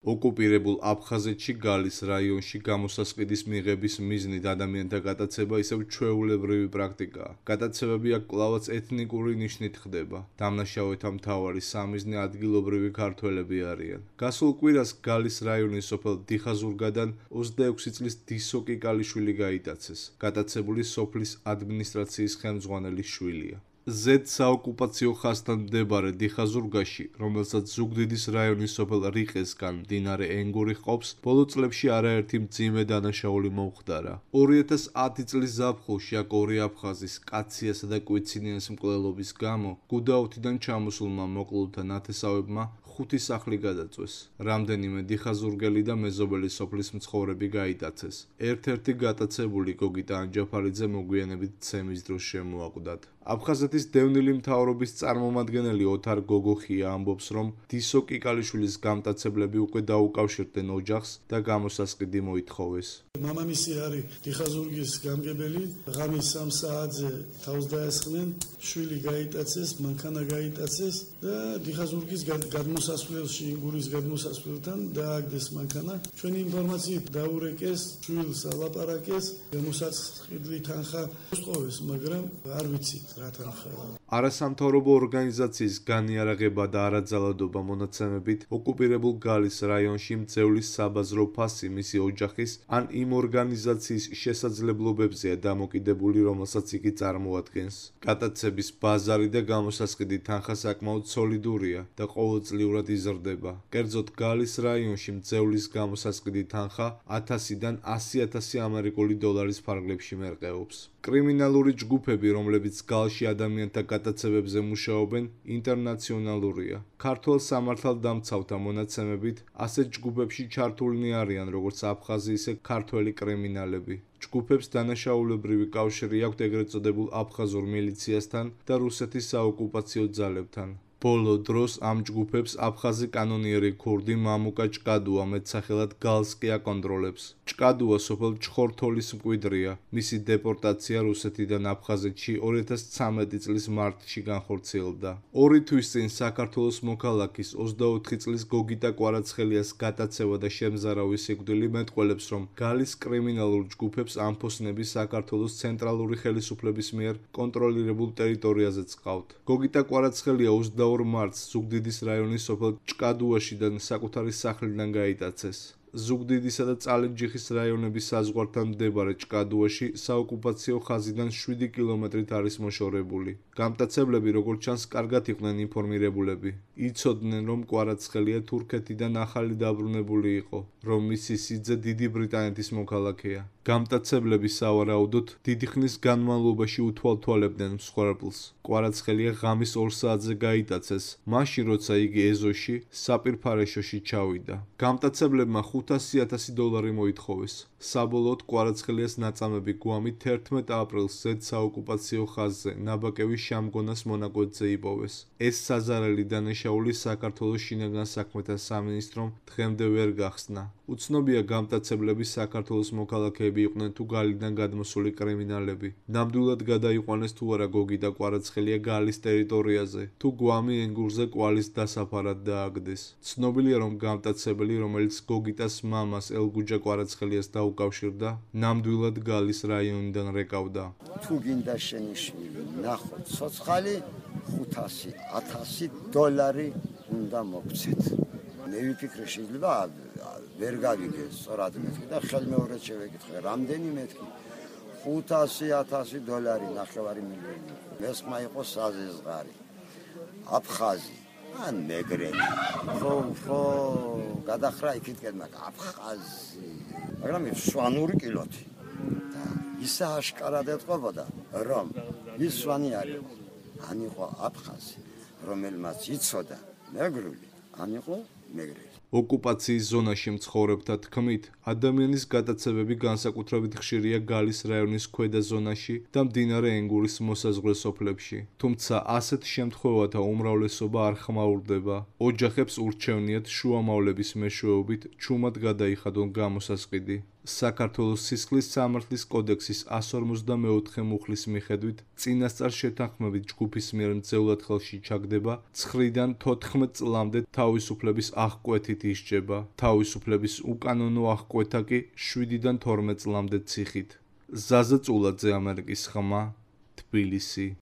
ოკუპირებულ აფხაზეთში გალის რაიონში გამოსასყიდის მიღების მიზნით ადამიანთა გატაცება ისევ ჩვეულებრივი პრაქტიკაა. გატაცებები აქ კვლავაც ეთნიკური ნიშნით ხდება. დამნაშავეთა მთავარი სამიზნე ადგილობრივი ქართველები არიან. გასულ კვირას გალის რაიონის სოფელ დიხაზურგადან 26 წლის დისო კიკალიშვილი გაიტაცეს. გატაცებული სოფლის ადმინისტრაციის ხელმძღვანელის შვილია. ზედ საოკუპაციო ხაზთან მდებარე დიხაზურგაში, რომელსაც ზუგდიდის რაიონის სოფელ რიყესგან მდინარე ენგური ჰყოფს, ბოლო წლებში არაერთი მძიმე დანაშაული მომხდარა. 2010 წლის ზაფხულში აქ ორი აფხაზის, კაციასა და კვიცინიას მკვლელობის გამო, გუდაუთიდან ჩამოსულმა მოკლულთა ნათესავებმა 5 სახლი გადაწვეს. რამდენიმე დიხაზურგელი და მეზობელი სოფლის მცხოვრები გაიტაცეს. ერთ-ერთი გატაცებული გოგიტა ანჯაფარიძე მოგვიანებით ცემის დროს შემოაკვდათ. აფხაზეთის დევნილი მთავრობის წარმომადგენელი ოთარ გოგოხია ამბობს, რომ დისო კიკალიშვილის გამტაცებლები უკვე დაუკავშირდნენ ოჯახს და გამოსასყიდი მოითხოვეს. მამამისი არის დიხაზურგის გამგებელი, ღამის 3 საათზე თავს დაესხნენ, შვილი გაიტაცეს, მანქანა გაიტაცეს და დიხაზურგის გადმოსასვლელში, ინგურის გადმოსასვლელთან დააგდეს მანქანა. ჩვენი ინფორმაციით დაურეკეს, შვილს ალაპარაკეს, გამოსასყიდლი თანხა უსწოვეს, მაგრამ არ ვიცით რა თანხა. არასამთავრობო ორგანიზაციის განიარაღება და არაძალადობა მონაცემებით, ოკუპირებულ გალის რაიონში მძევლის საბაზრო ფასი მისი ოჯახის ან იმ ორგანიზაციის შესაძლებლობებზეა დამოკიდებული, რომელსაც იგი წარმოადგენს. გატაცების ბაზარი და გამოსასყიდი თანხა საკმაოდ სოლიდურია და ყოველწლიურად იზრდება. კერძოდ, გალის რაიონში მძევლის გამოსასყიდი თანხა 1000-დან 100,000 ამერიკული დოლარის ფარგლებში მერყეობს. კრიმინალური ჯგუფები, რომლებიც გალში ადამიანთა გატაცებებზე მუშაობენ, ინტერნაციონალურია. ქართველ სამართალდამცავთა მონაცემებით, ასეთ ჯგუფებში ჩართულნი არიან როგორც აფხაზი, ისე ქართველი კრიმინალები. ჯგუფებს დანაშაულებრივი კავშირი აქვთ ეგრეთ წოდებულ აფხაზურ მილიციასთან და რუსეთის საოკუპაციო ძალებთან. ბოლო დროს ამ ჯგუფებს აფხაზი კანონიერი ქურდი მამუკა ჭკადუა მეტსახელად გალს კი აკონტროლებს. ჭკადუა სოფელ ჩხორთოლის მკვიდრია. მისი დეპორტაცია რუსეთიდან აფხაზეთში 2013 წლის მარტში განხორციელდა. 2 თვის წინ საქართველოს მოქალაქის 24 წლის გოგიტა კვარაცხელიას გატაცება და შემზარავი სიკვდილი მეტყველებს, რომ გალის კრიმინალურ ჯგუფებს ამფოსნები საქართველოს ცენტრალური ხელისუფლების მიერ კონტროლირებულ ტერიტორიაზეც ყავთ. გოგიტა კვარაცხელია 22 მარტს ზუგდიდის რაიონის სოფელ ჭკადუაშიდან საკუთარი სახლიდან გაიტაცეს. ზუგდიდისა და წალენჯიხის რაიონების საზღვართან მდებარე ჭკადუაში საოკუპაციო ხაზიდან 7 კილომეტრით არის მოშორებული. გამტაცებლები, როგორც ჩანს, კარგად იყვნენ ინფორმირებულები. იცოდნენ, რომ კვარაცხელია თურქეთიდან ახალი დაბრუნებული იყო, რომ მისი სიძე დიდი ბრიტანეთის მოქალაქეა. გამტაცებლები სავარაუდოდ დიდი ხნის განმავლობაში უთვალთვალებდნენ მსხვერპლს. კვარაცხელია ღამის 2 საათზე გაიტაცეს, მაშინ როცა იგი ეზოში, საპირფარეშოში ჩავიდა. გამტაცებლებმა 500,000 დოლარი მოითხოვეს. საბოლოოდ კვარაცხელიას ნაწამები გვამით 11 აპრილს ზედ საოკუპაციო ხაზზე ნაბაკევის შამგონას მონაკვეთზე იპოვეს. ეს საზარელი დანაშაული საქართველოს შინაგან საქმეთა სამინისტრომ დღემდე ვერ გახსნა. უცნობია გამტაცებლები საქართველოს მოქალაქეები იყვნენ თუ გალიდან გადმოსული კრიმინალები. ნამდვილად გადაიყვანეს თუ არა გოგიტა კვარაცხელია გალის ტერიტორიაზე, თუ გვამი ენგურზე კვალის დასაფარად დააგდეს. ცნობილია, რომ გამტაცებელი, რომელიც გოგიტას მამას ელგუჯა კვარაცხელიას დაუკავშირდა, ნამდვილად გალის რაიონიდან რეკავდა. თუ გინდა შენი შვილი, ნახო, ცოცხალი 500-1000 დოლარი უნდა მოგცეთ. მე ვიფიქრე, შეიძლება ვერ გავიგე სწორად მეთქი და ხელმეორედ შევეკითხე, რამდენი მეთქი? 500-1000 დოლარი, 9 მილიონი. მესხმა იყო საზეზღარი. აფხაზი, ან მეგრელი. ხო, გადახრა იქითკენ, მაგრამ აფხაზი. მაგრამ სვანური კილოთი. და ისა აშკარად ეთყობოდა, რომ ის სვანი არის. ან იყო აფხაზი, რომელმაც იცოდა მეგრული, ან იყო მეგრელი. ოკუპაციის ზონაში მცხოვრებთა თქმით, ადამიანის გატაცებები განსაკუთრებით ხშირია გალის რაიონის ქვედა ზონაში და მდინარე ენგურის მოსაზღვრე სოფლებში. თუმცა ასეთ შემთხვევათა უმრავლესობა არ ხმაურდება. ოჯახებს ურჩევნიათ შუამავლების მეშვეობით ჩუმად გადაიხადონ გამოსასყიდი. საქართველოს სისხლის სამართლის კოდექსის 154 მუხლის მიხედვით წინასწარ შეთანხმებით ჯგუფის მიერ მძევლად ხელში ჩაგდება 9-დან 14 წლამდე თავისუფლების აღკვეთით ისჯება. თავისუფლების უკანონო აღკვეთა კი 7-დან 12 წლამდე ციხით. ზაზა წულაძე, ამერიკის ხმა, თბილისი.